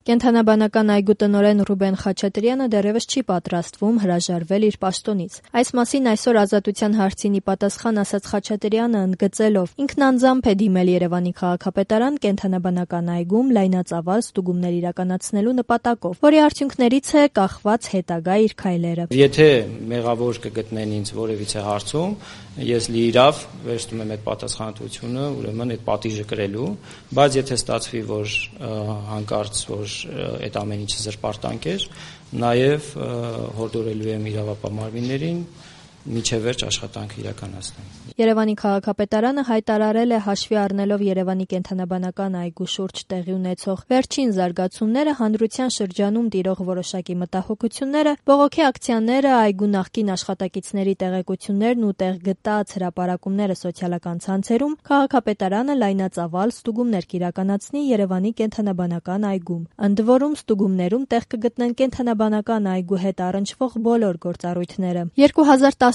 Կենդանաբանական այգու տնօրեն Ռուբեն Խաչատրյանը դեռևս չի պատրաստվում հրաժարվել իր պաշտոնից։ Այս մասին այսօր Ազատության հարցին ի պատասխան ասաց Խաչատրյանը, ընդգծելով. ինքն անձամբ է դիմել Երևանի քաղաքապետարան կենդանաբանական այգում լայնածավալ ստուգումներ իրականացնելու նպատակով, որի արդյունքներից է կախված հետագա իր քայլերը։ Եթե մեղավոր կգտնեն ինձ որևիցե հարցում, ես լիիրավ վերցնում եմ այդ պատասխանատվությունը, ուրեմն այդ պատիժը կրելու, բայց եթե ստացվի, որ հանկարծ որ այդ ամեն ինչը զրպարտանք էր, նաև հորդորելու եմ իրավապահ մարմիններին մինչև վերջ աշխատանք իրականացնել։ Երևանի քաղաքապետարանը հայտարարել է հաշվի առնելով Երևանի կենդանաբանական այգու շուրջ տեղի ունեցող վերջին զարգացումները, հանրության շրջանում տիրող որոշակի մտահոգությունները, բողոքի ակցիաները, այգու նախկին աշխատակիցների տեղեկություններն ու տեղ գտած հրապարակումները սոցիալական ցանցերում, քաղաքապետարանը լայնածավալ ստուգումներ կիրականացնի Երևանի կենդանաբանական այգում։ Ընդ որում ստուգումներում տեղ կգտնեն կենդանաբանական այգու հետ առնչվող բոլոր գործառույթները։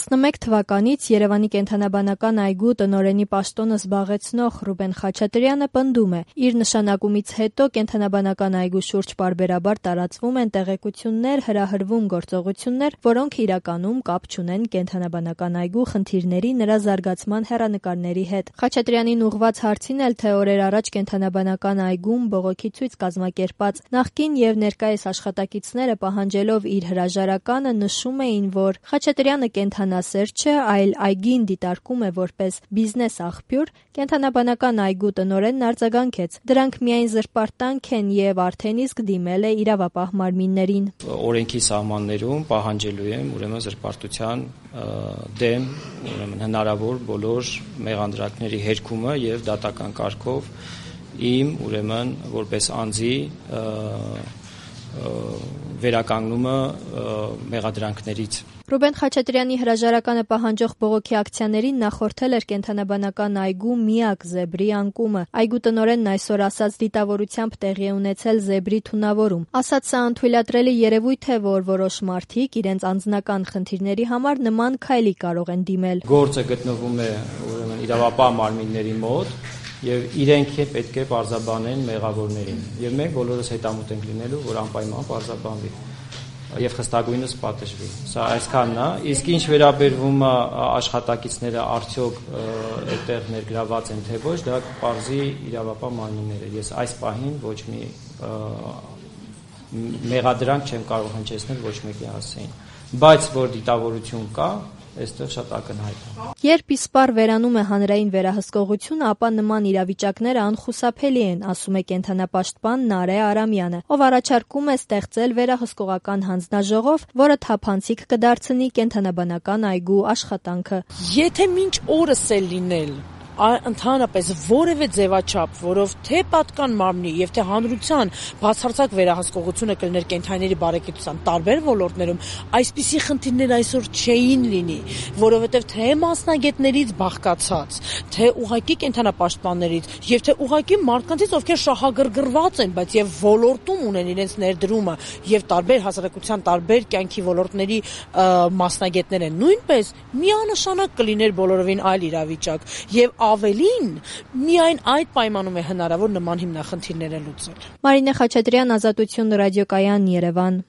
2011 թվականից Երևանի կենդանաբանական այգու տնօրենի պաշտոնը զբաղեցնող Ռուբեն Խաչատրյանը պնդում է, իր նշանակումից հետո կենդանաբանական այգու շուրջ պարբերաբար տարածվում են տեղեկություններ, հրահրվում գործողություններ, որոնք իրականում կապ չունեն կենդանաբանական այգու խնդիրների, նրա զարգացման հեռանկարների հետ։ Խաչատրյանին ուղղված հարցին էլ, թե օրեր առաջ կենդանաբանական այգում բողոքի ցույց կազմակերպած նախկին եւ ներկայիս աշխատակիցները պահանջելով իր հրաժարականը նշում էին, որ Խաչատրյանը կենդանասեր չէ, այլ այգին դիտարկում է որպես բիզնես աղբյուր, կենդանաբանական այգու տնօրենն արձագանքեց. դրանք միայն զրպարտանք են եւ արդեն իսկ դիմել է իրավապահ մարմիններին։ Օրենքի սահմաններում պահանջելու եմ ուրեմն զրպարտության դեմ հնարավոր բոլոր մեղանդրանքների հերքումը եւ դատական կարգով իմ ուրեմն որպես անձի վերականգնումը մեղադրանքներից։ Ռուբեն Խաչատրյանի հրաժարականը պահանջող բողոքի ակցիաներին նախորդել էր կենդանաբանական այգու միակ զեբրի անկումը։ Այգու տնօրենն այսօր ասաց դիտավորությամբ տեղի է ունեցել զեբրի թունավորում։ Ասաց սա անթույլատրելի երևույթ է, որ որոշ մարդիկ իրենց անձնական խնդիրների համար նման քայլի կարող են դիմել։ Գործը գտնվում է ուրեմն իրավապահ մարմինների մոտ եւ իրենք պետք է պարզաբանեն մեղավորներին եւ մենք բոլորս հետամուտ ենք լինելու, որ անպայման պարզաբանվի եւ խստագույնս պատժվի։ Սա այսքանն է։ Իսկ ինչ վերաբերվում է աշխատակիցները արդյոք այդտեղ ներգրաված են թե ոչ, դա կպարզի իրավապահ մարմինները։ Ես այս պահին ոչ մի մեղադրանք չեմ կարող հնչեցնել ոչ մեկի հասցեին, բայց որ դիտավորություն կա, այստեղ շատ ակնհայտ է։ Երբ իսպառ վերանում է հանրային վերահսկողությունը, ապա նման իրավիճակները անխուսափելի են, ասում է կենդանապաշտպան Նարե Արամյանը, ով առաջարկում է ստեղծել վերահսկողական հանձնաժողով, որը թափանցիկ կդարձնի կենդանաբանական այգու աշխատանքը։ Եթե մինչ օրս է լինել ընդհանրապես որևէ ձևաչափ, որով թե պատկան մարմնի եւ թե հանրության բացարձակ վերահսկողությունը կլներ կենդանիների բարեկեցության տարբեր ոլորտներում, այսպիսի խնդիրներ այսօր չէին լինի, որովհետեւ թե մասնագետներից բաղկացած, թե ուղղակի կենդանապաշտպաններից եւ թե ուղղակի մարդկանցից, ովքեր շահագրգռված են, բայց եւ ոլորտում ունեն իրենց ներդրումը եւ տարբեր հասարակության տարբեր կյանքի ոլորտների մասնագետներ են, նույնպես միանշանակ կլիներ բոլորովին այլ իրավիճակ եւ ավելին, միայն այդ պայմանում է հնարավոր նման հիմնախնդիրները լուծել։ Մարինե Խաչատրյան, Ազատություն ռադիոկայան, Երևան։